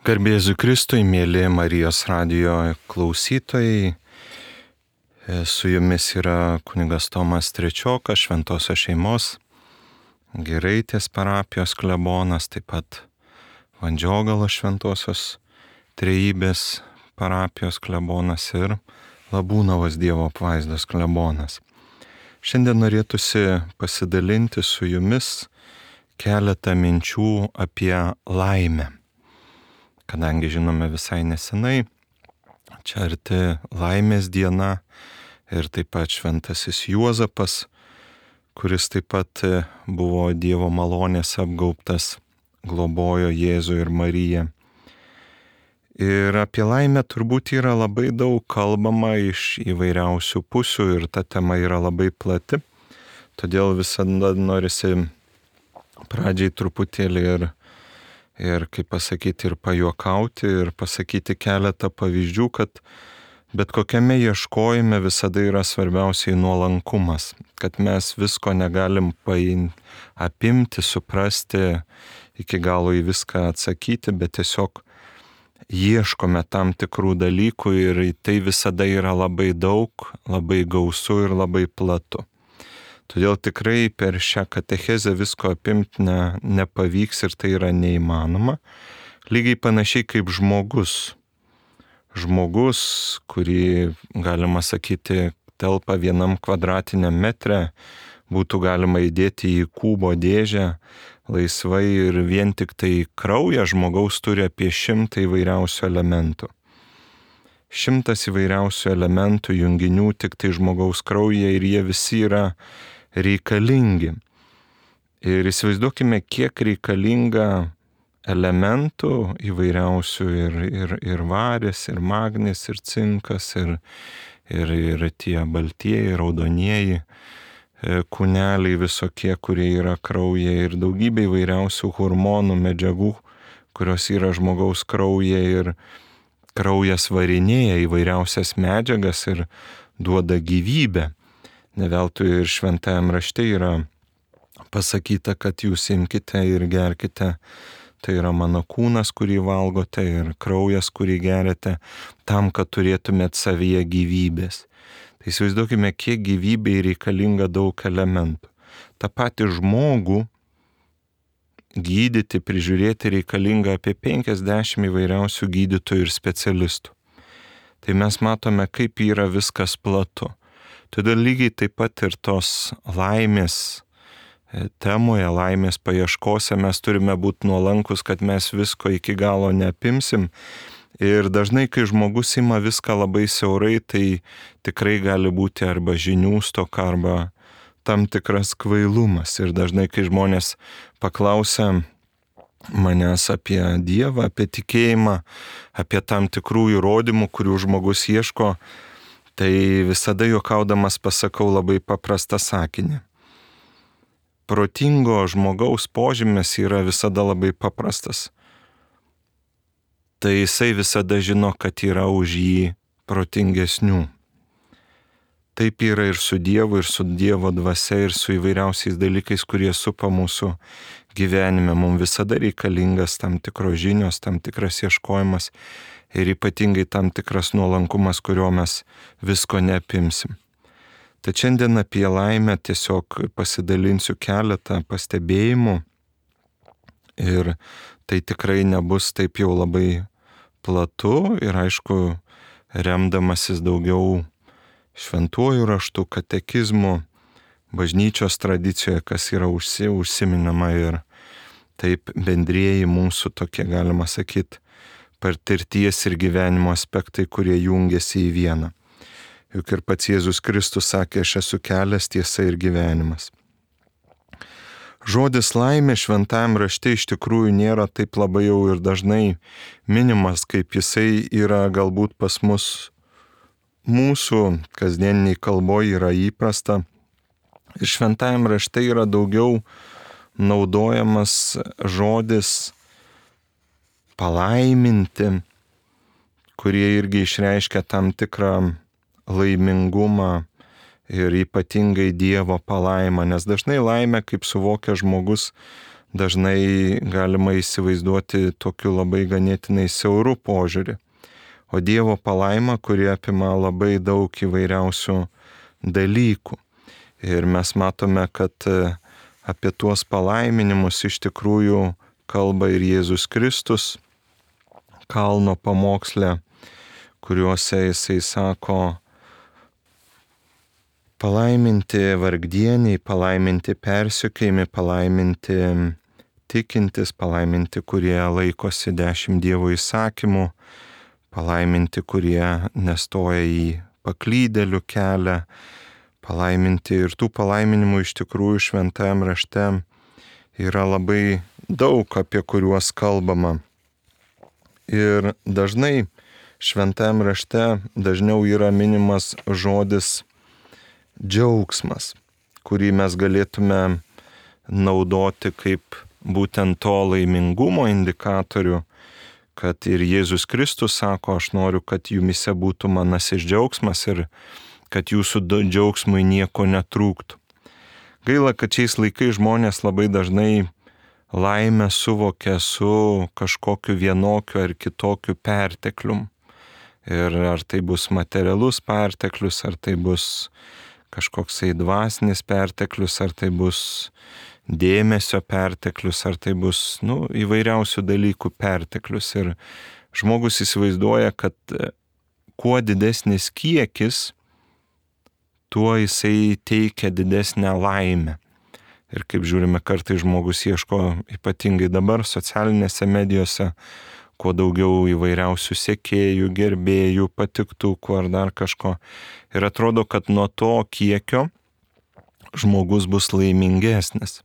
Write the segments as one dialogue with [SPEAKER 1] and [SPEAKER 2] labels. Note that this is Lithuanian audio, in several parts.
[SPEAKER 1] Garbė Jėzui Kristui, mėly Marijos radijo klausytojai. Su jumis yra kunigas Tomas Trečiokas, Šventosios šeimos Giraitės parapijos klebonas, taip pat Vandžiogalo Šventosios Trejybės parapijos klebonas ir Labūnavos Dievo apvaizdos klebonas. Šiandien norėtųsi pasidalinti su jumis keletą minčių apie laimę. Kadangi žinome visai nesenai, čia arti laimės diena ir taip pat šventasis Juozapas, kuris taip pat buvo Dievo malonės apgaubtas, globojo Jėzų ir Mariją. Ir apie laimę turbūt yra labai daug kalbama iš įvairiausių pusių ir ta tema yra labai plati. Todėl visada norisi pradžiai truputėlį ir kaip pasakyti, ir pajuokauti, ir pasakyti keletą pavyzdžių, kad bet kokiame ieškojime visada yra svarbiausiai nuolankumas, kad mes visko negalim apimti, suprasti, iki galo į viską atsakyti, bet tiesiog ieškome tam tikrų dalykų ir tai visada yra labai daug, labai gausu ir labai platu. Todėl tikrai per šią katechezę visko apimti nepavyks ir tai yra neįmanoma. Lygiai panašiai kaip žmogus. Žmogus, kurį, galima sakyti, telpa 1 kvadratiniam metre, būtų galima įdėti į kubo dėžę laisvai ir vien tik tai kraują žmogaus turi apie 100 įvairiausių elementų. 100 įvairiausių elementų, junginių tik tai žmogaus kraujyje ir jie visi yra reikalingi. Ir įsivaizduokime, kiek reikalinga elementų įvairiausių ir varis, ir magnis, ir cinkas, ir tie baltieji, raudonieji kūneliai visokie, kurie yra kraujyje, ir daugybė įvairiausių hormonų, medžiagų, kurios yra žmogaus kraujyje, ir kraujas varinėja įvairiausias medžiagas ir duoda gyvybę. Ne veltui ir šventajam rašte yra pasakyta, kad jūs imkite ir gerkite, tai yra mano kūnas, kurį valgote, ir kraujas, kurį geriate, tam, kad turėtumėt savyje gyvybės. Tai įsivaizduokime, kiek gyvybei reikalinga daug elementų. Ta pati žmogų gydyti, prižiūrėti reikalinga apie 50 įvairiausių gydytojų ir specialistų. Tai mes matome, kaip yra viskas platu. Todėl lygiai taip pat ir tos laimės temoje, laimės paieškose mes turime būti nuolankus, kad mes visko iki galo neapimsim. Ir dažnai, kai žmogus ima viską labai siaurai, tai tikrai gali būti arba žinių stoka, arba tam tikras kvailumas. Ir dažnai, kai žmonės paklausia manęs apie Dievą, apie tikėjimą, apie tam tikrų įrodymų, kurių žmogus ieško, tai visada juokaudamas pasakau labai paprastą sakinį. Protingo žmogaus požymis yra visada labai paprastas. Tai jisai visada žino, kad yra už jį protingesnių. Taip yra ir su Dievu, ir su Dievo dvasia, ir su įvairiausiais dalykais, kurie supa mūsų gyvenime. Mums visada reikalingas tam tikros žinios, tam tikras ieškojimas ir ypatingai tam tikras nuolankumas, kurio mes visko neapimsim. Tad šiandien apie laimę tiesiog pasidalinsiu keletą pastebėjimų ir tai tikrai nebus taip jau labai platu ir aišku, remdamasis daugiau šventuoju raštu, katekizmu, bažnyčios tradicijoje, kas yra užsiminama ir taip bendrieji mūsų tokie, galima sakyti, patirties ir gyvenimo aspektai, kurie jungiasi į vieną. Juk ir pats Jėzus Kristus sakė, aš esu kelias, tiesa ir gyvenimas. Žodis laimė šventajam rašte iš tikrųjų nėra taip labai jau ir dažnai minimas, kaip jisai yra galbūt pas mus mūsų kasdieniniai kalboje yra įprasta. Ir šventajam rašte yra daugiau naudojamas žodis palaiminti, kurie irgi išreiškia tam tikrą laimingumą ir ypatingai Dievo palaimą, nes dažnai laimę, kaip suvokia žmogus, dažnai galima įsivaizduoti tokiu labai ganėtinai siauru požiūrį. O Dievo palaima, kuri apima labai daug įvairiausių dalykų. Ir mes matome, kad apie tuos palaiminimus iš tikrųjų kalba ir Jėzus Kristus kalno pamoksle, kuriuose jisai sako: palaiminti vargdieniai, palaiminti persekiojami, palaiminti tikintis, palaiminti, kurie laikosi 10 Dievo įsakymų, palaiminti, kurie nestoja į paklydėlių kelią, palaiminti. Ir tų palaiminimų iš tikrųjų šventajame rašte yra labai daug, apie kuriuos kalbama. Ir dažnai šventajame rašte dažniau yra minimas žodis džiaugsmas, kurį mes galėtume naudoti kaip būtent to laimingumo indikatorių, kad ir Jėzus Kristus sako: aš noriu, kad jumise būtų manasis džiaugsmas ir kad jūsų džiaugsmui nieko netrūktų. Gaila, kad šiais laikais žmonės labai dažnai laimę suvokia su kažkokiu vienokiu ar kitokiu perteklium. Ir ar tai bus materialus perteklius, ar tai bus kažkoksai dvasinis perteklius, ar tai bus dėmesio perteklius, ar tai bus įvairiausių dalykų perteklius. Ir žmogus įsivaizduoja, kad kuo didesnis kiekis, tuo jisai teikia didesnę laimę. Ir kaip žiūrime, kartais žmogus ieško, ypatingai dabar socialinėse medijose, kuo daugiau įvairiausių sekėjų, gerbėjų, patiktukų ar dar kažko. Ir atrodo, kad nuo to kiekio žmogus bus laimingesnis.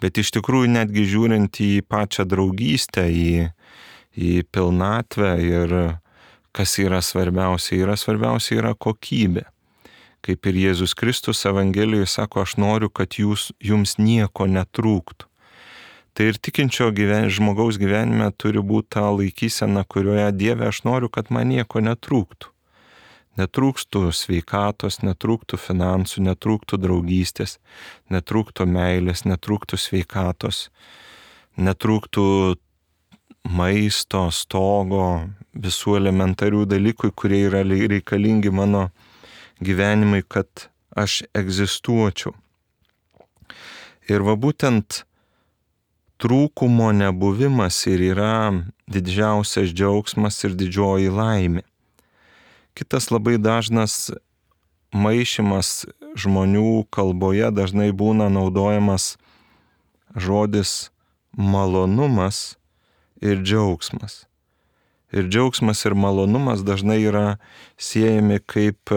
[SPEAKER 1] Bet iš tikrųjų, netgi žiūrint į pačią draugystę, į pilnatvę ir kas yra svarbiausia yra kokybė. Kaip ir Jėzus Kristus Evangelijoje sako: aš noriu, kad jums nieko netrūktų. Tai ir tikinčio žmogaus gyvenime turi būti ta laikysena, kurioje: Dieve, aš noriu, kad man nieko netrūktų. Netrūktų sveikatos, netrūktų finansų, netrūktų draugystės, netrūktų meilės, netrūktų sveikatos, netrūktų maisto, stogo, visų elementarių dalykų, kurie yra reikalingi mano gyvenimui, kad aš egzistuočiau. Ir va būtent trūkumo nebuvimas ir yra didžiausias džiaugsmas ir didžioji laimė. Kitas labai dažnas maišymas žmonių kalboje dažnai būna naudojamas žodis malonumas ir džiaugsmas. Ir džiaugsmas ir malonumas dažnai yra siejami kaip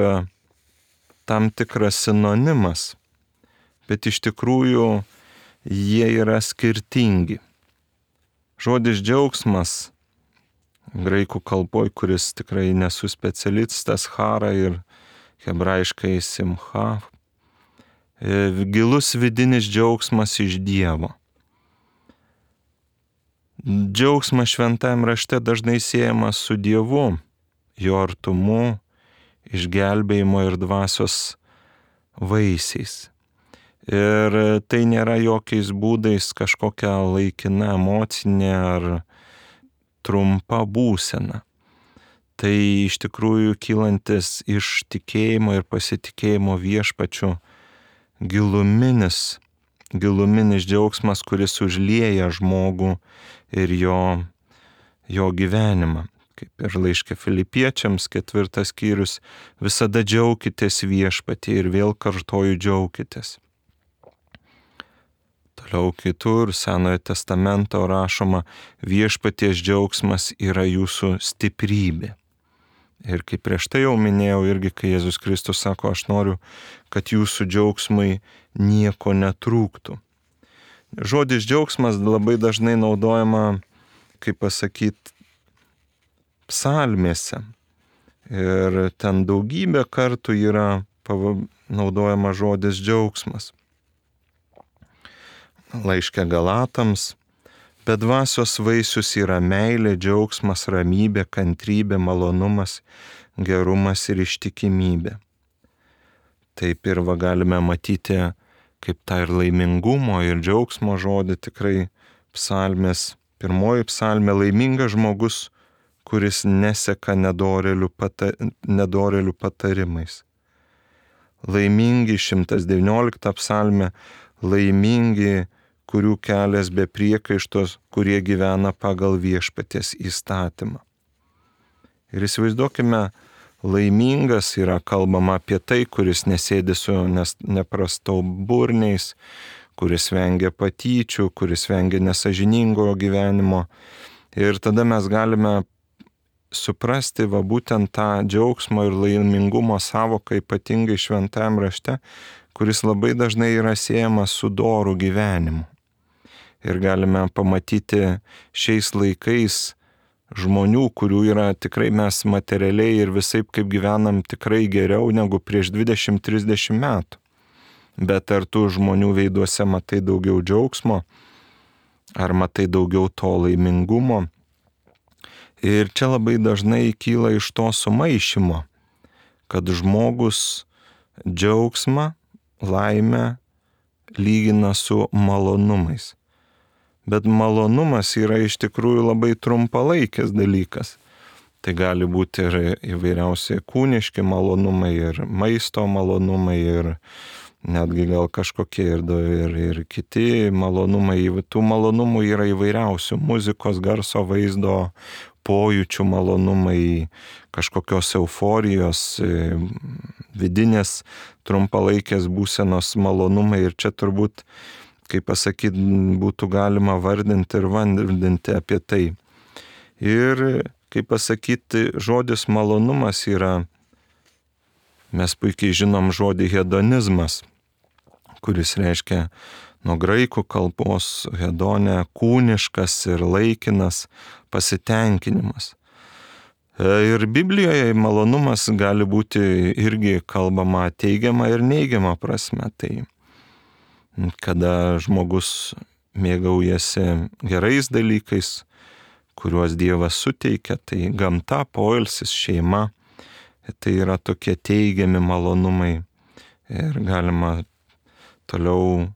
[SPEAKER 1] tam tikras sinonimas, bet iš tikrųjų jie yra skirtingi. Žodis džiaugsmas graikų kalboj, kuris tikrai nesu specialistas, chara ir hebrajiškai simcha, gilus vidinis džiaugsmas iš Dievo. Džiaugsmas šventajame rašte dažnai siejamas su Dievu, jo artumu, išgelbėjimo ir dvasios vaisiais. Ir tai nėra jokiais būdais kažkokia laikina emocinė ar trumpa būsena. Tai iš tikrųjų kylantis iš tikėjimo ir pasitikėjimo viešpačiu giluminis džiaugsmas, kuris užlieja žmogų ir jo gyvenimą. Kaip ir laiške Filipiečiams 4 skyrius: visada džiaukitės viešpatyje, ir vėl kartoju, džiaukitės. Toliau kitur Senojo testamento rašoma: viešpaties džiaugsmas yra jūsų stiprybė. Ir kaip prieš tai jau minėjau irgi, kai Jėzus Kristus sako: aš noriu, kad jūsų džiaugsmai nieko netrūktų. Žodis džiaugsmas labai dažnai naudojama, kaip pasakyti, psalmėse. Ir ten daugybę kartų yra naudojama žodis džiaugsmas. Laiške Galatams: bet dvasios vaisius yra meilė, džiaugsmas, ramybė, kantrybė, malonumas, gerumas ir ištikimybė. Taip ir galime matyti, kaip tą ir laimingumo, ir džiaugsmo žodį tikrai psalmės. Pirmoji psalmė: laimingas žmogus, kuris neseka nedorėlių patarimais. Laimingi 119 psalmė: laimingi, kurių kelias be priekaištos, kurie gyvena pagal viešpaties įstatymą. Ir įsivaizduokime, laimingas yra kalbama apie tai, kuris nesėdi su neprastauburniais, kuris vengia patyčių, kuris vengia nesažiningo gyvenimo. Ir tada mes galime suprasti būtent tą džiaugsmo ir laimingumo savoką, ypatingai šventajam rašte, kuris labai dažnai yra siejamas su doru gyvenimu. Ir galime pamatyti šiais laikais žmonių, kurių yra tikrai mes materialiai ir visaip kaip gyvenam tikrai geriau negu prieš 20-30 metų. Bet ar tų žmonių veiduose matai daugiau džiaugsmo, ar matai daugiau to laimingumo? Ir čia labai dažnai kyla iš to sumaišymo, kad žmogus džiaugsmą, laimę lygina su malonumais. Bet malonumas yra iš tikrųjų labai trumpalaikis dalykas. Tai gali būti ir įvairiausi kūniški malonumai, ir maisto malonumai, ir netgi gal kažkokie ir kiti malonumai. Tų malonumų yra įvairiausių: muzikos, garso, vaizdo, pojūčių malonumai, kažkokios euforijos, vidinės trumpalaikės būsenos malonumai. Ir čia turbūt, kaip pasakyti, būtų galima vardinti ir vardinti apie tai. Ir, kaip pasakyti, žodis malonumas yra, mes puikiai žinom žodį hedonizmas, kuris reiškia nuo graikų kalbos hedonė kūniškas ir laikinas pasitenkinimas. Ir Biblijoje malonumas gali būti irgi kalbama teigiama ir neigiama prasme. Tai kada žmogus mėgaujasi gerais dalykais, kuriuos Dievas suteikia, tai gamta, poilsis, šeima, tai yra tokie teigiami malonumai. Ir galima toliau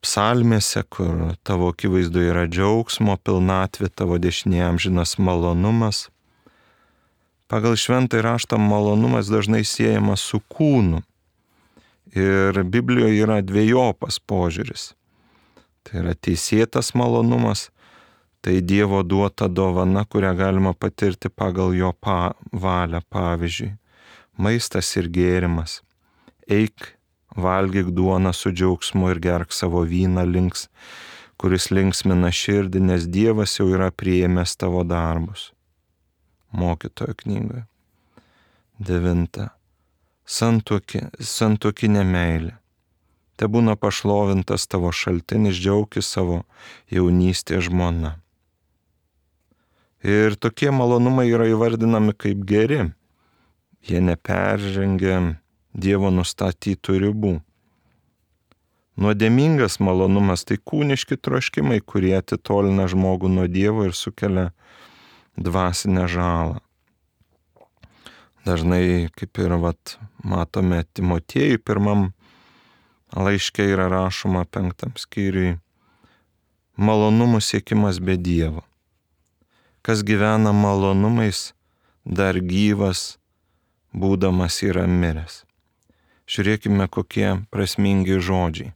[SPEAKER 1] psalmėse, kur tavo akivaizdoje yra džiaugsmo pilnatvė, tavo dešinėje amžinas malonumas. Pagal šventąjį raštą malonumas dažnai siejamas su kūnu. Ir Biblijoje yra dvejopas požiūris. Tai yra teisėtas malonumas, tai Dievo duota dovana, kurią galima patirti pagal jo valią. Pavyzdžiui, maistas ir gėrimas. Eik, valgyk duoną su džiaugsmu ir gerk savo vyną kuris linksmina širdį, nes Dievas jau yra priėmęs tavo darbus. Mokytojo knygoje. 9. Santuokinė meilė. Te būna pašlovintas tavo šaltinis, džiaukis savo jaunystės žmona. Ir tokie malonumai yra įvardinami kaip geri. Jie neperžengia Dievo nustatytų ribų. Nuodėmingas malonumas tai kūniški troškimai, kurie atitolina žmogų nuo Dievo ir sukelia dvasinę žalą. Dažnai, kaip ir matome Timotiejui 1 laiške yra rašoma 5 skyriui, malonumų siekimas be Dievo. Kas gyvena malonumais, dar gyvas, būdamas yra miręs. Žiūrėkime, kokie prasmingi žodžiai.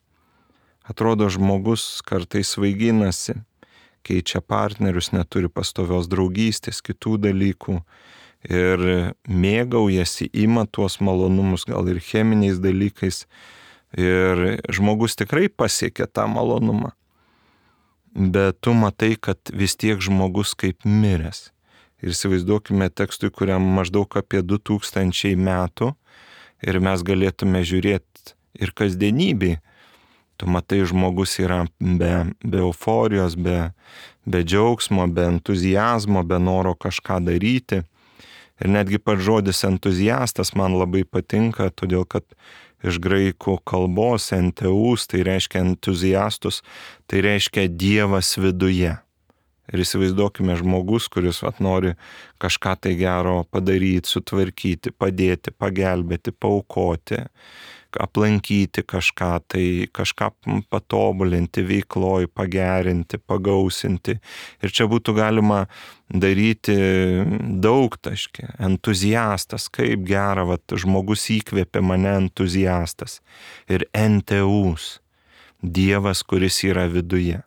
[SPEAKER 1] Atrodo, žmogus kartais svaiginasi, keičia partnerius, neturi pastovios draugystės, kitų dalykų ir mėgaujasi, ima tuos malonumus, gal ir cheminiais dalykais. Ir žmogus tikrai pasiekia tą malonumą. Bet tu matai, kad vis tiek žmogus kaip miręs. Ir įsivaizduokime tekstui, kuriam maždaug apie 2000 metų, ir mes galėtume žiūrėti ir kasdienybį. Tu matai, žmogus yra be euforijos, be džiaugsmo, be entuzijazmo, be noro kažką daryti. Ir netgi pats žodis entuziastas man labai patinka, todėl kad iš graikų kalbos enteus, tai reiškia entuziastus, tai reiškia Dievas viduje. Ir įsivaizduokime žmogus, kuris nori kažką tai gero padaryti, sutvarkyti, padėti, pagelbėti, paaukoti. aplankyti kažką, tai kažką patobulinti veikloj, pagerinti, pagausinti. Ir čia būtų galima daryti daugtaškį. Entuziastas, kaip gera, žmogus įkvėpė mane entuziastas. Ir enteus, Dievas, kuris yra viduje.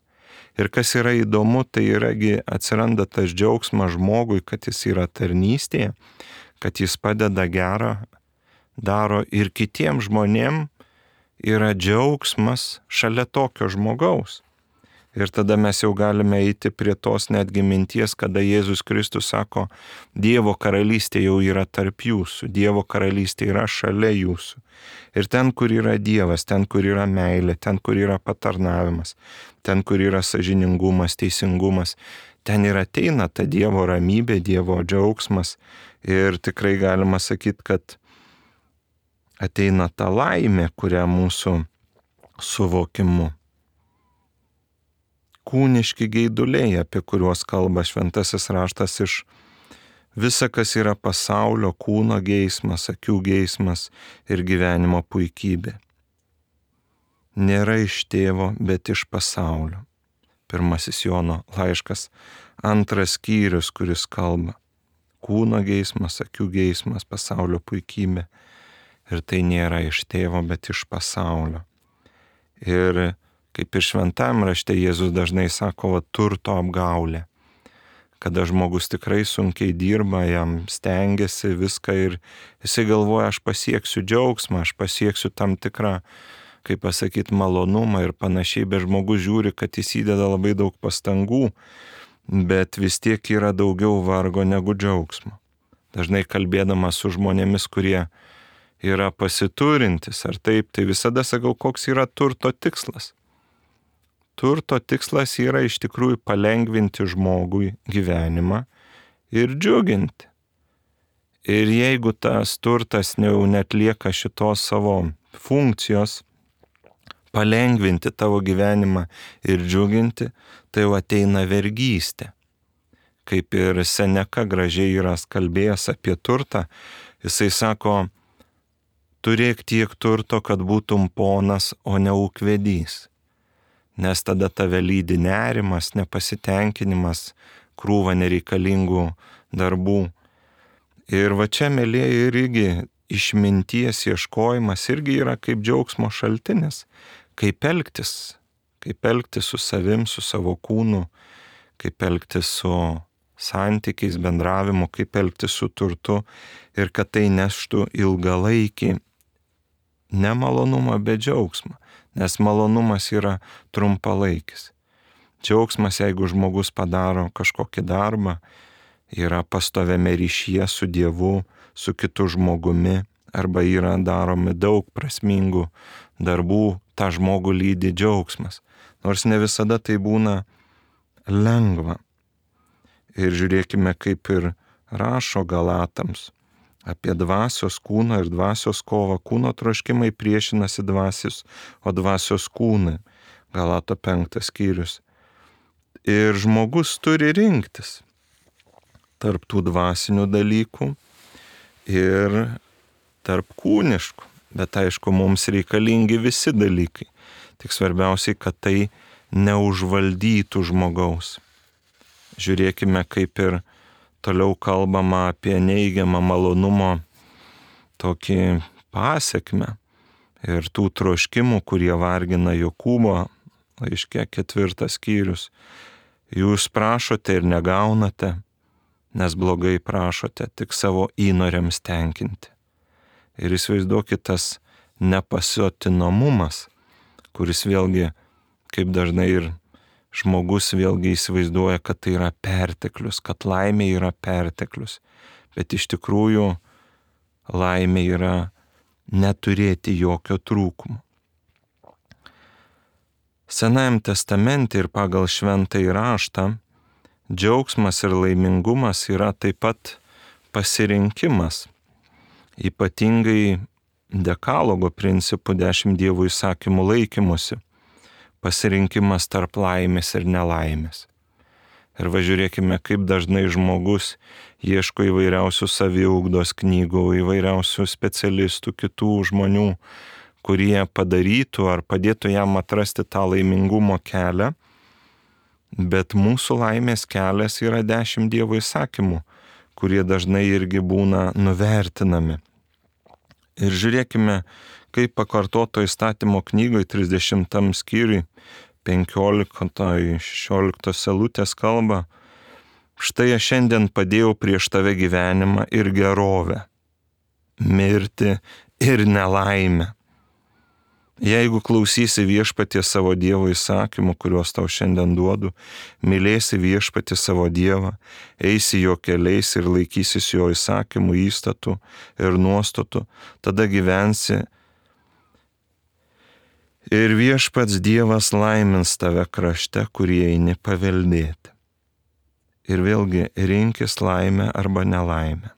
[SPEAKER 1] Ir kas yra įdomu, tai yragi atsiranda tas džiaugsmas žmogui, kad jis yra tarnystėje, kad jis padeda gerą, daro ir kitiem žmonėm yra džiaugsmas šalia tokio žmogaus. Ir tada mes jau galime eiti prie tos netgi minties, kada Jėzus Kristus sako, Dievo karalystė jau yra tarp jūsų, Dievo karalystė yra šalia jūsų. Ir ten, kur yra Dievas, ten, kur yra meilė, ten, kur yra patarnavimas, ten, kur yra sąžiningumas, teisingumas, ten ir ateina ta Dievo ramybė, Dievo džiaugsmas. Ir tikrai galima sakyti, kad ateina ta laimė, kurią mūsų suvokimu. Kūniški geiduliai, apie kuriuos kalba šventasis raštas iš visa, kas yra pasaulio, kūno geismas, akių geismas ir gyvenimo puikybė. Nėra iš tėvo, bet iš pasaulio. 1 Jono laiškas, 2 skyrius, kuris kalba. Kūno geismas, akių geismas, pasaulio puikybė. Ir tai nėra iš tėvo, bet iš pasaulio. Ir kaip ir šventam rašte Jėzus dažnai sako, turto apgaulė. Kada žmogus tikrai sunkiai dirba, jam stengiasi viską ir jisai galvoja, aš pasieksiu džiaugsmą, aš pasieksiu tam tikrą, kaip pasakyti, malonumą ir panašiai, bet žmogus žiūri, kad jis įdeda labai daug pastangų, bet vis tiek yra daugiau vargo negu džiaugsmo. Dažnai kalbėdamas su žmonėmis, kurie yra pasiturintis ar taip, tai visada sakau, koks yra turto tikslas. Turto tikslas yra iš tikrųjų palengvinti žmogui gyvenimą ir džiuginti. Ir jeigu tas turtas jau netlieka šitos savo funkcijos, palengvinti tavo gyvenimą ir džiuginti, tai jau ateina vergystė. Kaip ir Seneka gražiai yra kalbėjęs apie turtą, jisai sako, turėk tiek turto, kad būtum ponas, o ne ūkvedys. Nes tada tave lydi nerimas, nepasitenkinimas, krūva nereikalingų darbų. Ir va čia, mėlieji, irgi išminties ieškojimas irgi yra kaip džiaugsmo šaltinis, kaip elgtis su savim, su savo kūnu, kaip elgtis su santykiais, bendravimu, kaip elgtis su turtu ir kad tai neštų ilgalaikį nemalonumą, bet džiaugsmą. Nes malonumas yra trumpalaikis. Džiaugsmas, jeigu žmogus padaro kažkokį darbą, yra pastoviame ryšyje su Dievu, su kitu žmogumi, arba yra daromi daug prasmingų darbų, tą žmogų lydi džiaugsmas. Nors ne visada tai būna lengva. Ir žiūrėkime, kaip ir rašo Galatams apie dvasios kūno ir dvasios kovą. Kūno troškimai priešinasi dvasios, o dvasios kūnai. Galato 5 skyrius. Ir žmogus turi rinktis tarp tų dvasinių dalykų ir tarp kūniškų. Bet aišku, mums reikalingi visi dalykai. Tik svarbiausiai, kad tai neužvaldytų žmogaus. Žiūrėkime, kaip ir toliau kalbama apie neigiamą malonumo tokį pasekmę ir tų troškimų, kurie vargina Jokūbo laiške 4 skyrius. Jūs prašote ir negaunate, nes blogai prašote, tik savo įnoriams tenkinti. Ir įsivaizduokit tas nepasiotinamumas, kuris vėlgi, kaip dažnai ir žmogus vėlgi įsivaizduoja, kad tai yra perteklius, kad laimė yra perteklius. Bet iš tikrųjų laimė yra neturėti jokio trūkumo. Senajam testamente ir pagal šventąjį raštą džiaugsmas ir laimingumas yra taip pat pasirinkimas. Ypatingai dekalogo principų 10 Dievo įsakymų laikymusi. Pasirinkimas tarp laimės ir nelaimės. Ir važiuokime, kaip dažnai žmogus ieško įvairiausių saviugdos knygų, įvairiausių specialistų, kitų žmonių, kurie padarytų ar padėtų jam atrasti tą laimingumo kelią, bet mūsų laimės kelias yra 10 Dievo įsakymų, kurie dažnai irgi būna nuvertinami. Ir žiūrėkime, kaip pakartoto įstatymo knygoje 30 skyriui 15-16 eilutės kalba: štai aš šiandien padėjau prieš tave gyvenimą ir gerovę, mirtį ir nelaimę. Jeigu klausysi viešpaties savo Dievo įsakymų, kuriuos tau šiandien duodu, mylėsi viešpatį savo Dievą, eisi jo keliais ir laikysis jo įsakymų, įstatų ir nuostatų, tada gyvensi ir viešpats Dievas laimins tave krašte, kurį eini paveldėti. Ir vėlgi rinkis laimę arba nelaimę.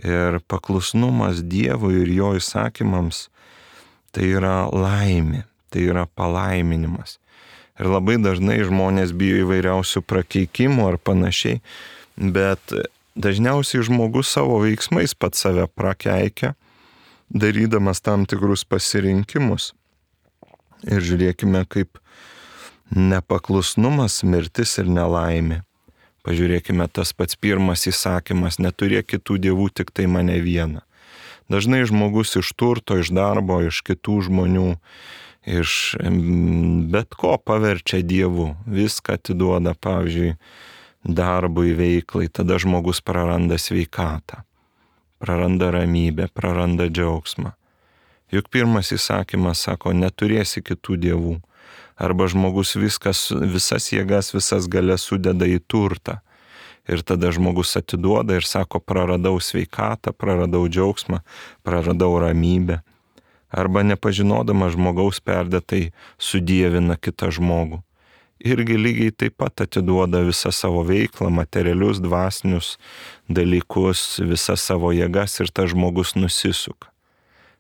[SPEAKER 1] Ir paklusnumas Dievui ir jo įsakymams tai yra laimė, tai yra palaiminimas. Ir labai dažnai žmonės bijo įvairiausių prakeikimų ar panašiai, bet dažniausiai žmogus savo veiksmais pats save prakeikia, darydamas tam tikrus pasirinkimus. Ir žiūrėkime, kaip nepaklusnumas, mirtis ir nelaimė. Pažiūrėkime, tas pats pirmas įsakymas: neturėk kitų dievų, tik tai mane vieną. Dažnai žmogus iš turto, iš darbo, iš kitų žmonių, iš bet ko paverčia dievu, viską atiduoda, pavyzdžiui, darbui, veiklai, tada žmogus praranda sveikatą, praranda ramybę, praranda džiaugsmą. Juk pirmas įsakymas sako: neturėsi kitų dievų. Arba žmogus visas jėgas, visas galias sudeda į turtą. Ir tada žmogus atiduoda ir sako: praradau sveikatą, praradau džiaugsmą, praradau ramybę. Arba nepažinodamas žmogaus perdėtai sudievina kitą žmogų. Irgi lygiai taip pat atiduoda visą savo veiklą, materialius, dvasinius dalykus, visas savo jėgas, ir tas žmogus nusisuka.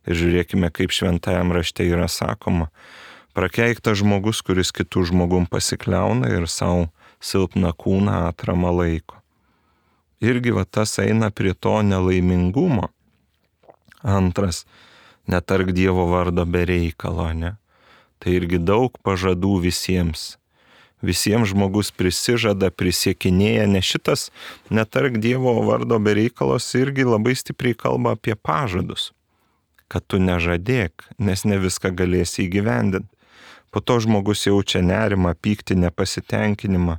[SPEAKER 1] Ir žiūrėkime, kaip šventajam rašte yra sakoma: prakeiktas žmogus, kuris kitų žmogum pasikliauna ir savo silpną kūną atramą laiko. Irgi tas eina prie to nelaimingumo. Antras: netark Dievo vardo be reikalo, ne? Tai irgi daug pažadų visiems. Visiems žmogus prisižada, prisiekinėja, nes šitas netark Dievo vardo be reikalos irgi labai stipriai kalba apie pažadus. Kad tu nežadėk, nes ne viską galėsi įgyvendinti. Po to žmogus jaučia nerimą, pyktį, nepasitenkinimą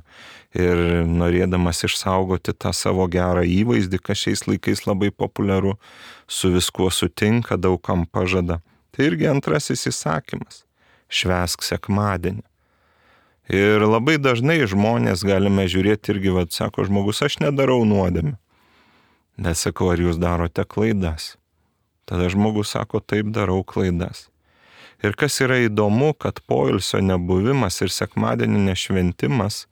[SPEAKER 1] ir norėdamas išsaugoti tą savo gerą įvaizdį, kas šiais laikais labai populiaru, su viskuo sutinka, daugam pažada. Tai irgi antrasis įsakymas: švęsk sekmadienį. Ir labai dažnai žmonės galime žiūrėti irgi, sako žmogus: aš nedarau nuodėmių. Bet sakau: ar jūs darote klaidas? Tada žmogus sako: taip, darau klaidas. Ir kas yra įdomu, kad poilsio nebuvimas ir sekmadienio nešventimas,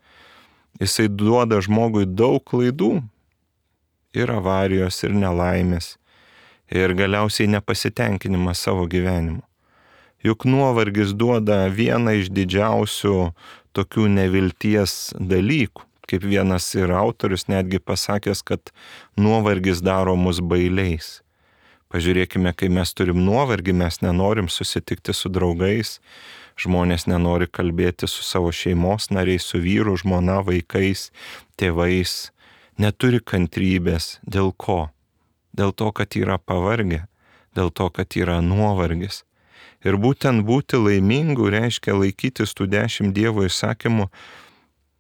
[SPEAKER 1] jisai duoda žmogui daug klaidų. Ir avarijos, ir nelaimės, ir galiausiai nepasitenkinimas savo gyvenimu. Juk nuovargis duoda vieną iš didžiausių tokių nevilties dalykų. Kaip vienas ir autorius netgi pasakęs, kad nuovargis daro mus bailiais. Pažiūrėkime, kai mes turim nuovargį, mes nenorim susitikti su draugais, žmonės nenori kalbėti su savo šeimos nariais, su vyru, žmona, vaikais, tėvais, neturi kantrybės. Dėl ko? Dėl to, kad yra pavargę, dėl to, kad yra nuovargis. Ir būtent būti laimingu reiškia laikytis tų 10 Dievo įsakymų.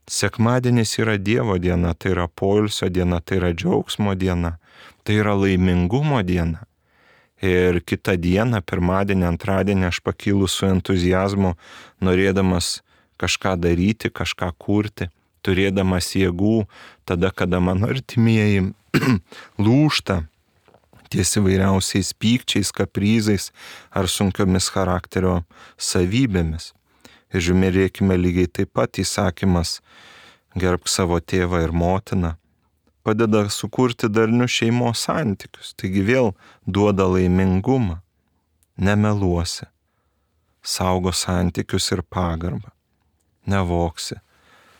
[SPEAKER 1] Sekmadienis yra Dievo diena, tai yra poilsio diena, tai yra džiaugsmo diena, tai yra laimingumo diena. Ir kitą dieną, pirmadienį, antradienį, aš pakylu su entuziazmu, norėdamas kažką daryti, kažką kurti, turėdamas jėgų, tada, kada mano artimieji lūžta ties įvairiausiais pykčiais, kaprizais ar sunkiomis charakterio savybėmis. Ir žiūrėkime, lygiai taip pat įsakymas: gerbk savo tėvą ir motiną, padeda sukurti darnius šeimos santykius, taigi vėl duoda laimingumą. Nemeluosi, saugo santykius ir pagarbą, nevoksi,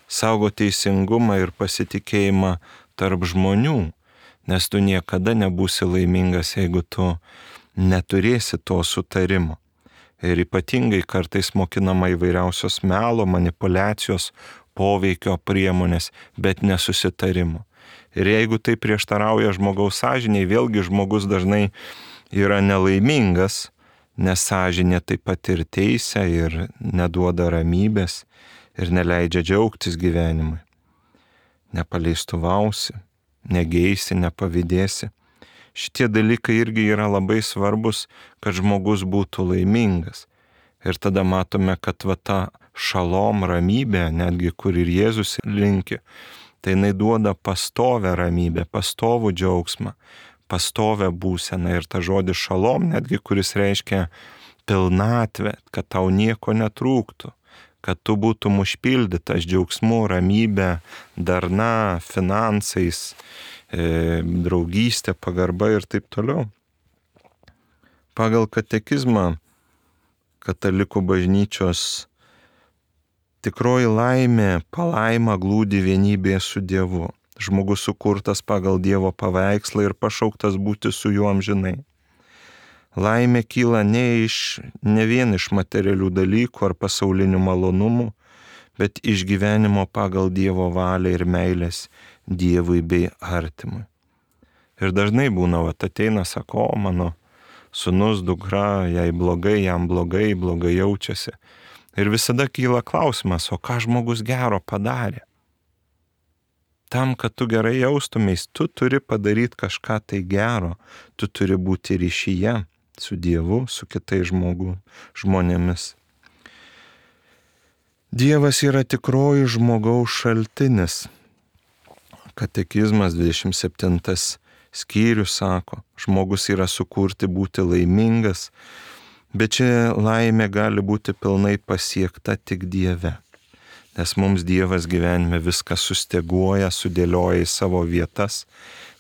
[SPEAKER 1] saugo teisingumą ir pasitikėjimą tarp žmonių, nes tu niekada nebūsi laimingas, jeigu tu neturėsi to sutarimo. Ir ypatingai kartais mokinama įvairiausios melo, manipulacijos, poveikio priemonės, bet nesusitarimo. Ir jeigu tai prieštarauja žmogaus sąžiniai, vėlgi žmogus dažnai yra nelaimingas, nes sąžinė taip pat ir teisia ir neduoda ramybės ir neleidžia džiaugtis gyvenimui. Nepaleistuvausi, negeisi, nepavydėsi. Šitie dalykai irgi yra labai svarbus, kad žmogus būtų laimingas. Ir tada matome, kad va ta šalom ramybė, netgi kur ir Jėzus linki, tai jinai duoda pastovę ramybę, pastovų džiaugsmą, pastovę būseną. Ir ta žodis šalom, netgi kuris reiškia pilnatvę, kad tau nieko netrūktų, kad tu būtum užpildytas džiaugsmu, ramybė, darna, finansais, draugystė, pagarba ir taip toliau. Pagal katekizmą katalikų bažnyčios tikroji laimė, palaima glūdi vienybėje su Dievu. Žmogus sukurtas pagal Dievo paveikslą ir pašauktas būti su juo amžinai. Laimė kyla ne vien iš materialių dalykų ar pasaulinių malonumų, bet iš gyvenimo pagal Dievo valią ir meilės Dievui bei artimui. Ir dažnai būna, ateina, sako, mano sūnus, dukra, jai blogai, jam blogai jaučiasi. Ir visada kyla klausimas, o ką žmogus gero padarė? Tam, kad tu gerai jaustumės, tu turi padaryti kažką tai gero, tu turi būti ryšyje su Dievu, su kitais žmonėmis. Dievas yra tikroji žmogaus šaltinis. Katekizmas 27 skyrius sako, žmogus yra sukurti būti laimingas, bet čia laimė gali būti pilnai pasiekta tik Dieve. Nes mums Dievas gyvenime viską susteguoja, sudėlioja į savo vietas,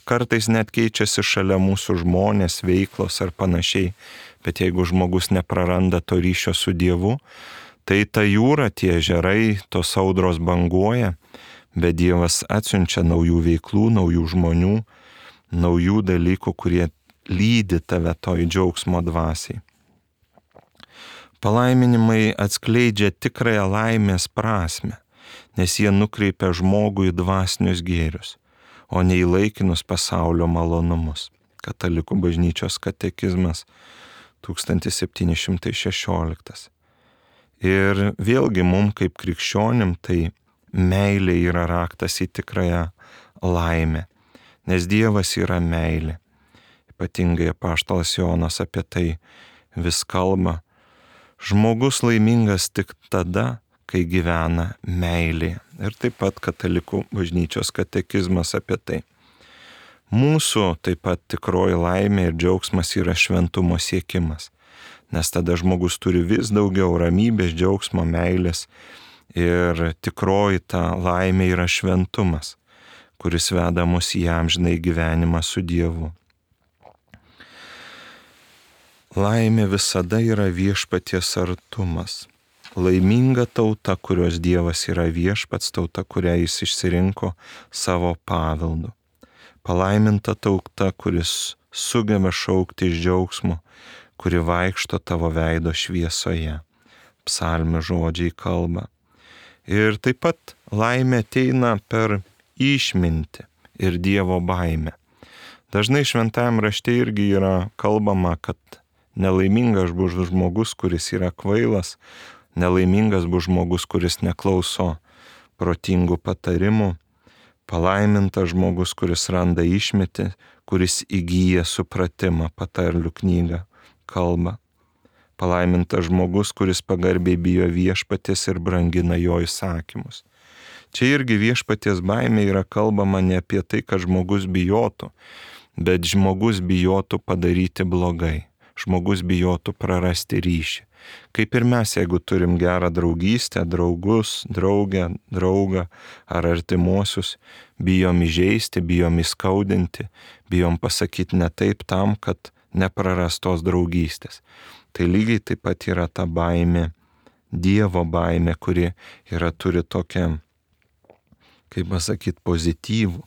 [SPEAKER 1] kartais net keičiasi šalia mūsų žmonės, veiklos ar panašiai, bet jeigu žmogus nepraranda to ryšio su Dievu, tai ta jūra, tie ežerai, tos audros banguoja, bet Dievas atsiunčia naujų veiklų, naujų žmonių, naujų dalykų, kurie lydi tave toj džiaugsmo dvasiai. Palaiminimai atskleidžia tikrąją laimės prasmę, nes jie nukreipia žmogų į dvasinius gėrius, o ne į laikinus pasaulio malonumus. Katalikų bažnyčios katekizmas 1716. Ir vėlgi mums kaip krikščionim tai meilė yra raktas į tikrąją laimę, nes Dievas yra meilė. Ypatingai apaštalas Jonas apie tai vis kalba. Žmogus laimingas tik tada, kai gyvena meilėje. Ir taip pat katalikų bažnyčios katekizmas apie tai. Mūsų taip pat tikroji laimė ir džiaugsmas yra šventumo siekimas, nes tada žmogus turi vis daugiau ramybės, džiaugsmo, meilės ir tikroji ta laimė yra šventumas, kuris veda mus į amžinai gyvenimą su Dievu. Laimė visada yra viešpaties artumas. Laiminga tauta, kurios Dievas yra viešpats, tauta, kurią jis išsirinko savo paveldu. Palaiminta tauta, kuris sugeba šaukti iš džiaugsmo, kuri vaikšto tavo veido šviesoje. Psalmių žodžiai kalba. Ir taip pat laimė ateina per išmintį ir Dievo baimę. Dažnai šventajam rašte irgi yra kalbama, kad nelaimingas bus žmogus, kuris yra kvailas, nelaimingas bus žmogus, kuris neklauso protingų patarimų, palaimintas žmogus, kuris randa išmintį, kuris įgyja supratimą, patarlių knyga kalba. Palaimintas žmogus, kuris pagarbiai bijo viešpaties ir brangina jo įsakymus. Čia irgi viešpaties baimė yra kalbama ne apie tai, kad žmogus bijotų, bet žmogus bijotų padaryti blogai. Žmogus bijotų prarasti ryšį. Kaip ir mes, jeigu turim gerą draugystę, draugus, draugą ar artimuosius, bijom įžeisti, bijom įskaudinti, bijom pasakyti ne taip tam, kad neprarastos draugystės. Tai lygiai taip pat yra ta baimė, Dievo baimė, kuri turi tokią, kaip pasakyti, pozityvų,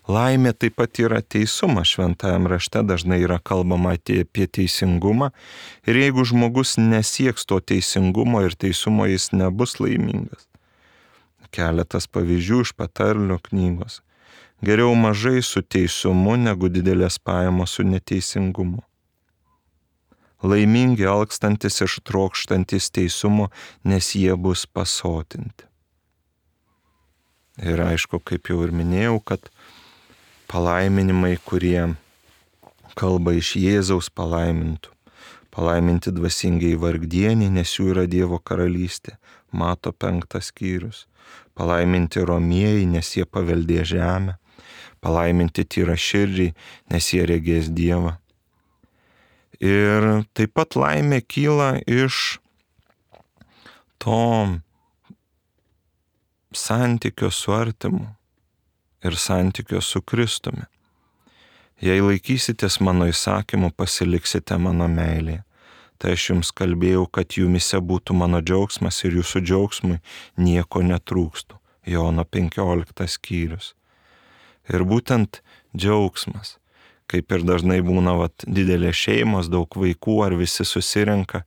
[SPEAKER 1] Laimė taip pat yra teisumas. Šventajame rašte dažnai yra kalbama apie teisingumą. Ir jeigu žmogus nesieks to teisingumo ir teisumo, jis nebus laimingas. Keletas pavyzdžių iš patarlių knygos. Geriau mažai su teisumu, negu didelės pajamos su neteisingumu. Laimingi alkstantis ir trokštantis teisumo, nes jie bus pasotinti. Ir aišku, kaip jau ir minėjau, kad palaiminimai, kurie kalba iš Jėzaus palaimintų. Palaiminti dvasingiai vargdieniai, nes jų yra Dievo karalystė. Mato 5 skyrius. Palaiminti romieji, nes jie paveldė žemę. Palaiminti tyraširdžiai, nes jie regės Dievą. Ir taip pat laimė kyla iš to santykio su artimu ir santykio su Kristumi. Jei laikysitės mano įsakymų, pasiliksite mano meilėje. Tai aš jums kalbėjau, kad jumise būtų mano džiaugsmas ir jūsų džiaugsmui nieko netrūkstų. Jono 15 skyrius. Ir būtent džiaugsmas, kaip ir dažnai būna didelės šeimos, daug vaikų ar visi susirenka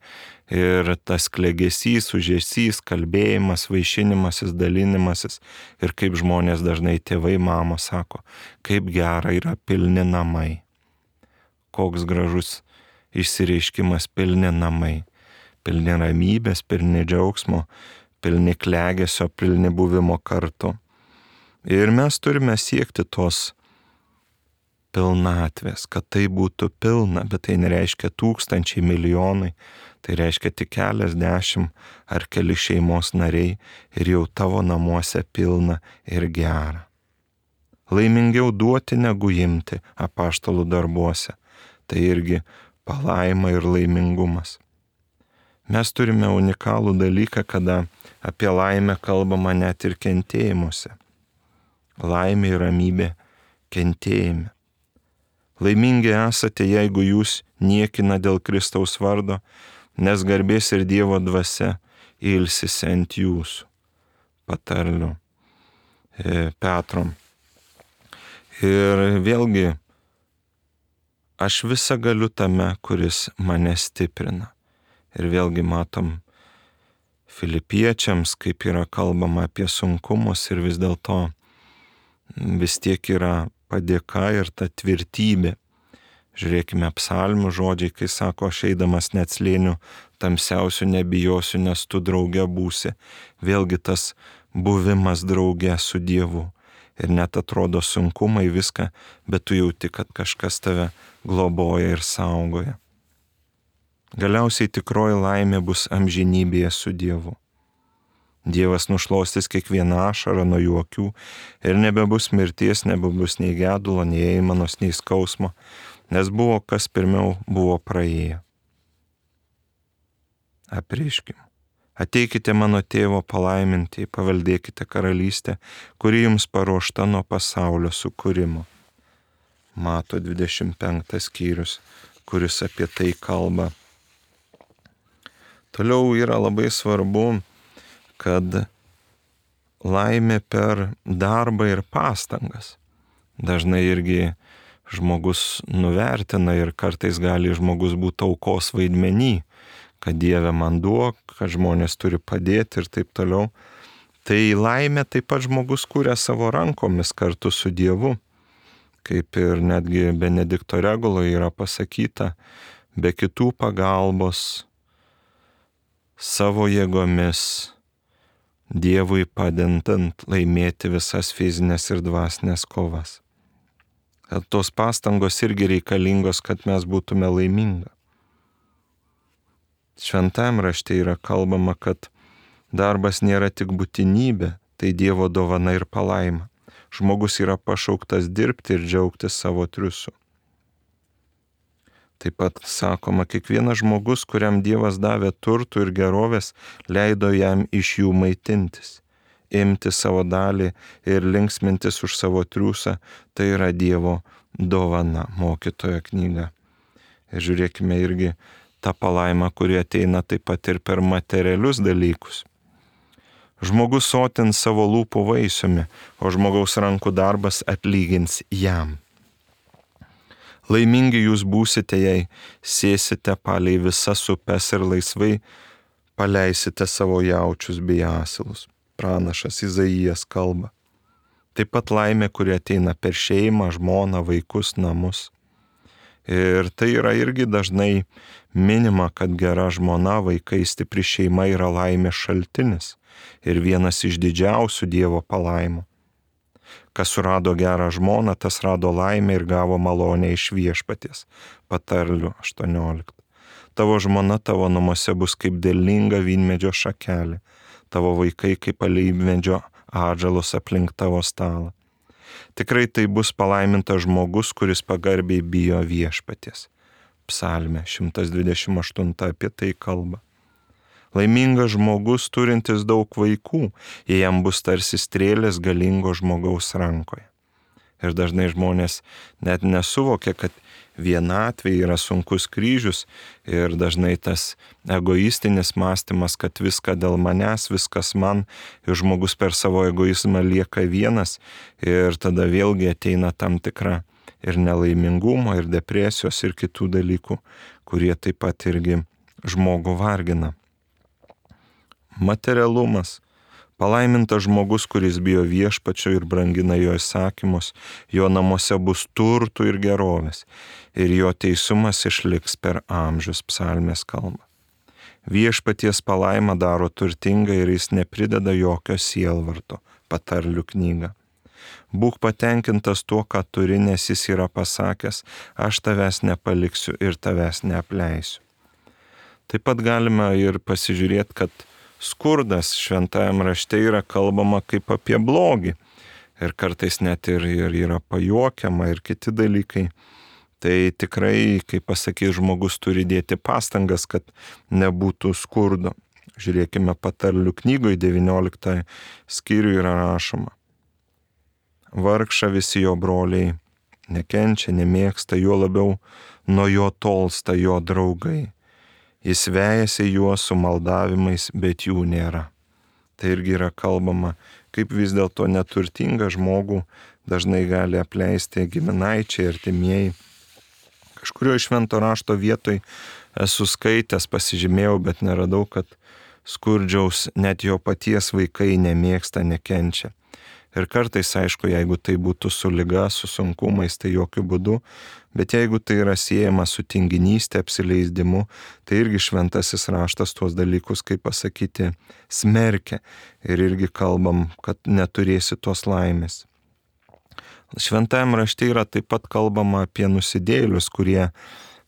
[SPEAKER 1] ir tas klegesys, užėsys, kalbėjimas, vaišinimasis, dalinimasis ir kaip žmonės dažnai tėvai, mamos sako, kaip gera yra pilni namai. Koks gražus išsireiškimas pilni namai, pilni ramybės, pilni džiaugsmo, pilni klegesio, pilni buvimo kartu. Ir mes turime siekti tos pilnatvės, kad tai būtų pilna, bet tai nereiškia tūkstančiai, milijonai, tai reiškia tik keliasdešimt ar keli šeimos nariai ir jau tavo namuose pilna ir gera. Laimingiau duoti negu imti apaštalų darbuose, tai irgi palaima ir laimingumas. Mes turime unikalų dalyką, kada apie laimę kalbama net ir kentėjimuose. Laimė ir ramybė kentėjime. Laimingi esate, jeigu jūs niekina dėl Kristaus vardo, nes garbės ir Dievo dvasia ilsisi ant jūsų. Patarlių Petrom. Ir vėlgi, aš visą galiu tame, kuris mane stiprina. Ir vėlgi matom Filipiečiams, kaip yra kalbama apie sunkumus ir vis dėlto vis tiek yra padėka ir ta tvirtybė. Žiūrėkime psalmių žodžiai, kai sako, aš eidamas net slėnių tamsiausių nebijosiu, nes tu drauge būsi. Vėlgi tas buvimas drauge su Dievu. Ir net atrodo sunkumai viską, bet tu jauti, kad kažkas tave globoja ir saugoja. Galiausiai tikroji laimė bus amžinybėje su Dievu. Dievas nušluostys kiekvieną ašarą nuo jų akių ir nebebus mirties, nebebus nei gedulo, nei aimanos, nei skausmo, nes buvo, kas pirmiau buvo praėję. Apreiškim. Ateikite mano tėvo palaiminti, paveldėkite karalystę, kuri jums paruošta nuo pasaulio sukūrimo. Mato 25 skyrius, kuris apie tai kalba. Toliau yra labai svarbu, kad laimė per darbą ir pastangas. Dažnai irgi žmogus nuvertina ir kartais gali žmogus būti aukos vaidmenį, kad Dieve man duok, kad žmonės turi padėti ir taip toliau. Tai laimė taip pat žmogus kūrė savo rankomis kartu su Dievu. Kaip ir netgi Benedikto reguloje yra pasakyta, be kitų pagalbos, savo jėgomis, Dievui padedant laimėti visas fizinės ir dvasinės kovas. Kad tos pastangos irgi reikalingos, kad mes būtume laimingi. Šventajame rašte yra kalbama, kad darbas nėra tik būtinybė, tai Dievo dovana ir palaima. Žmogus yra pašauktas dirbti ir džiaugtis savo triūsu. Taip pat sakoma, kiekvienas žmogus, kuriam Dievas davė turtų ir gerovės, leido jam iš jų maitintis. Imti savo dalį ir linksmintis už savo triūsą, tai yra Dievo dovana, mokytojo knyga. Ir žiūrėkime irgi tą palaimą, kuri ateina taip pat ir per materialius dalykus. Žmogus sotins savo lūpų vaisiumi, o žmogaus rankų darbas atlygins jam. Laimingi jūs būsite, jei sėsite palei visas upes ir laisvai paleisite savo jaučius bei asilus. Pranašas Izaijas kalba. Taip pat laimė, kuri ateina per šeimą, žmoną, vaikus, namus. Ir tai yra irgi dažnai minima, kad gera žmona, vaikai, stipri šeima yra laimės šaltinis ir vienas iš didžiausių Dievo palaimų. Kas surado gerą žmoną, tas rado laimę ir gavo malonę iš Viešpaties. Patarlių 18. Tavo žmona tavo namuose bus kaip derlinga vynmedžio šakelė, tavo vaikai kaip alyvmedžio atžalos aplink tavo stalą. Tikrai tai bus palaimintas žmogus, kuris pagarbiai bijo Viešpaties. Psalmė 128 apie tai kalba. Laimingas žmogus turintis daug vaikų, jei jam bus tarsi strėlės galingo žmogaus rankoje. Ir dažnai žmonės net nesuvokia, kad vienatvė yra sunkus kryžius ir dažnai tas egoistinis mąstymas, kad viską dėl manęs, viskas man, ir žmogus per savo egoizmą lieka vienas ir tada vėlgi ateina tam tikra ir nelaimingumo, ir depresijos, ir kitų dalykų, kurie taip pat irgi žmogų vargina. Materialumas. Palaimintas žmogus, kuris bijo Viešpačio ir brangina jo įsakymus, jo namuose bus turtų ir gerovės, ir jo teisumas išliks per amžius. Psalmės kalba. Viešpaties palaima daro turtingą ir jis neprideda jokio sielvarto. Patarlių knyga. Būk patenkintas tuo, ką turi, nes jis yra pasakęs, aš tavęs nepaliksiu ir tavęs neapleisiu. Taip pat galime ir pasižiūrėti, kad skurdas šventajam rašte yra kalbama kaip apie blogį. Ir kartais net ir yra pajuokiama ir kiti dalykai. Tai tikrai, kaip pasakys, žmogus turi dėti pastangas, kad nebūtų skurdo. Žiūrėkime Patarlių knygoje 19 skyriuje yra rašoma. Vargšą visi jo broliai nekenčia, nemėgsta, juo labiau nuo jo tolsta jo draugai. Jis vejasi juos su maldavimais, bet jų nėra. Tai irgi yra kalbama, kaip vis dėlto neturtingą žmogų dažnai gali apleisti giminaičiai, artimieji. Kažkurio iš švento rašto vietoj esu skaitęs, pasižymėjau, bet neradau, kad skurdžiaus net jo paties vaikai nemėgsta, nekenčia. Ir kartais, aišku, jeigu tai būtų su liga, su sunkumais, tai jokių būdų, bet jeigu tai yra siejama su tinginystė, apsileisdimu, tai irgi šventasis raštas tuos dalykus, kaip pasakyti, smerkia. Ir irgi kalbam, kad neturėsi tos laimės. Šventajam rašte yra taip pat kalbama apie nusidėjėlius, kurie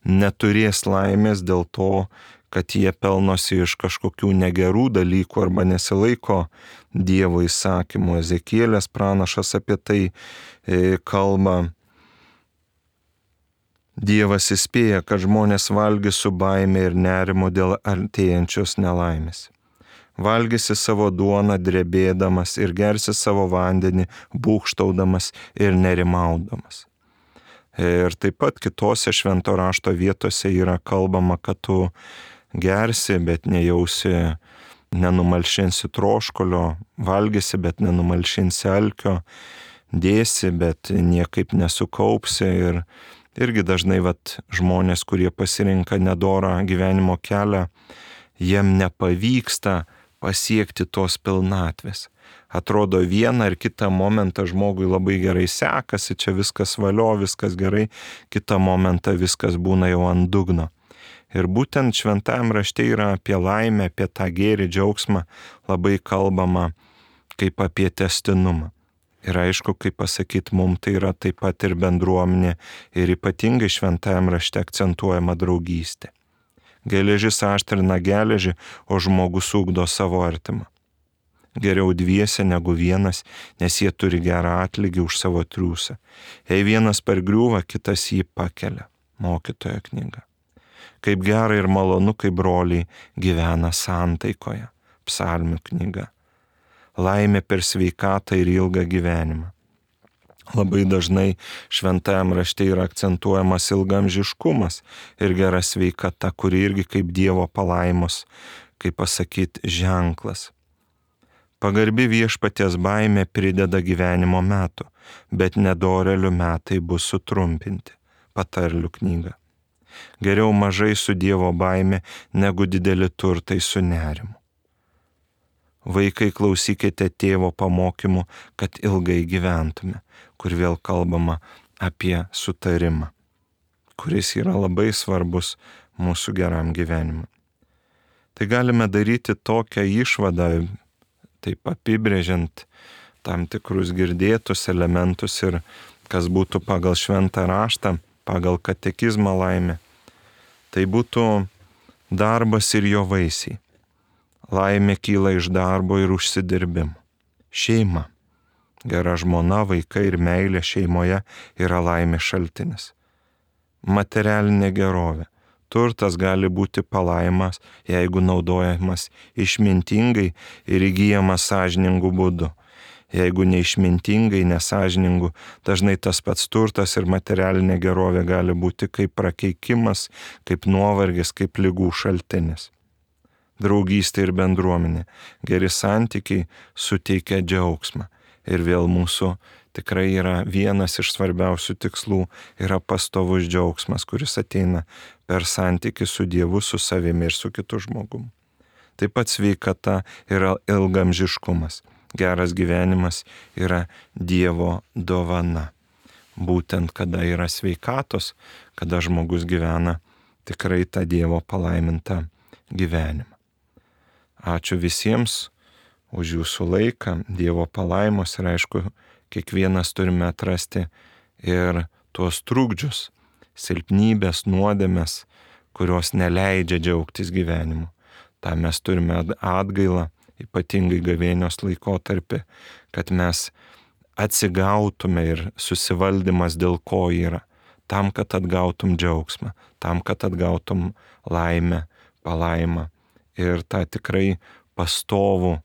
[SPEAKER 1] neturės laimės dėl to, kad jie pelnosi iš kažkokių negerų dalykų arba nesilaiko Dievo įsakymų. Ezekielės pranašas apie tai kalba. Dievas įspėja, kad žmonės valgys su baime ir nerimu dėl artėjančios nelaimės. Valgysi savo duoną drebėdamas ir gersi savo vandenį būgštaudamas ir nerimaudamas. Ir taip pat kitose švento rašto vietose yra kalbama, kad tu gersi, bet nejausi, nenumalšinsi troškulio, valgysi, bet nenumalšinsi alkio, dėsi, bet niekaip nesukaupsi. Ir irgi dažnai žmonės, kurie pasirinka nedorą gyvenimo kelią, jiem nepavyksta pasiekti tos pilnatvės. Atrodo, vieną ar kitą momentą žmogui labai gerai sekasi, čia viskas valio, viskas gerai, kitą momentą viskas būna jau ant dugno. Ir būtent šventajam rašte yra apie laimę, apie tą gėrį, džiaugsmą labai kalbama kaip apie testinumą. Ir aišku, kaip pasakyti, mums tai yra taip pat ir bendruomenė ir ypatingai šventajam rašte akcentuojama draugystė. Geležis aštrina geležį, o žmogus ugdo savo artimą. Geriau dviese negu vienas, nes jie turi gerą atlygį už savo triūsą. Jei vienas pargriūva, kitas jį pakelia. Mokytojo knyga. Kaip gera ir malonu, kai broliai gyvena santaikoje. Psalmių knyga. Laimė per sveikatą ir ilgą gyvenimą. Labai dažnai šventajam rašte yra akcentuojamas ilgamžiškumas ir gera sveikata, kuri irgi kaip Dievo palaimos, kaip pasakyti, ženklas. Pagarbi viešpaties baimė prideda gyvenimo metų, bet nedorelių metai bus sutrumpinti. Patarlių knyga. Geriau mažai su Dievo baimė, negu dideli turtai su nerimu. Vaikai, klausykite tėvo pamokymų, kad ilgai gyventume, kur vėl kalbama apie sutarimą, kuris yra labai svarbus mūsų geram gyvenimui. Tai galime daryti tokią išvadą, taip apibrėžiant tam tikrus girdėtus elementus ir kas būtų pagal šventą raštą, pagal katekizmą laimė. Tai būtų darbas ir jo vaisiai. Laimė kyla iš darbo ir užsidirbimo. Šeima. Gera žmona, vaikai ir meilė šeimoje yra laimės šaltinis. Materialinė gerovė. Turtas gali būti palaimas, jeigu naudojamas išmintingai ir įgyjamas sąžiningų būdų. Jeigu neišmintingai, nesąžiningų, dažnai tas pats turtas ir materialinė gerovė gali būti kaip prakeikimas, kaip nuovargis, kaip ligų šaltinis. Draugystė ir bendruomenė, geri santykiai suteikia džiaugsmą. Ir vėl mūsų tikrai yra vienas iš svarbiausių tikslų, yra pastovus džiaugsmas, kuris ateina per santykį su Dievu, su savimi ir su kitu žmogumi. Taip pat sveikata yra ilgamžiškumas. Geras gyvenimas yra Dievo dovana. Būtent kada yra sveikatos, kada žmogus gyvena tikrai tą Dievo palaimintą gyvenimą. Ačiū visiems už jūsų laiką, Dievo palaimos ir aišku, kiekvienas turime atrasti ir tuos trukdžius, silpnybės, nuodėmes, kurios neleidžia džiaugtis gyvenimu. Ta mes turime atgailą, ypatingai gavėnios laikotarpį, kad mes atsigautume ir susivaldymas dėl ko yra, tam, kad atgautum džiaugsmą, tam, kad atgautum laimę, palaimą ir tą tikrai pastovų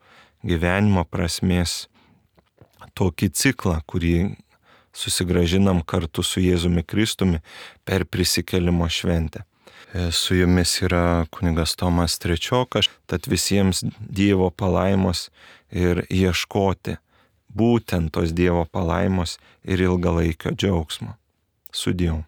[SPEAKER 1] gyvenimo prasmės tokį ciklą, kurį susigrąžinam kartu su Jėzumi Kristumi per prisikėlimo šventę. Su jumis yra kunigas Tomas Trečiokas, tad visiems Dievo palaimos ir ieškoti būtent tos Dievo palaimos ir ilgalaikio džiaugsmo. Sudieu.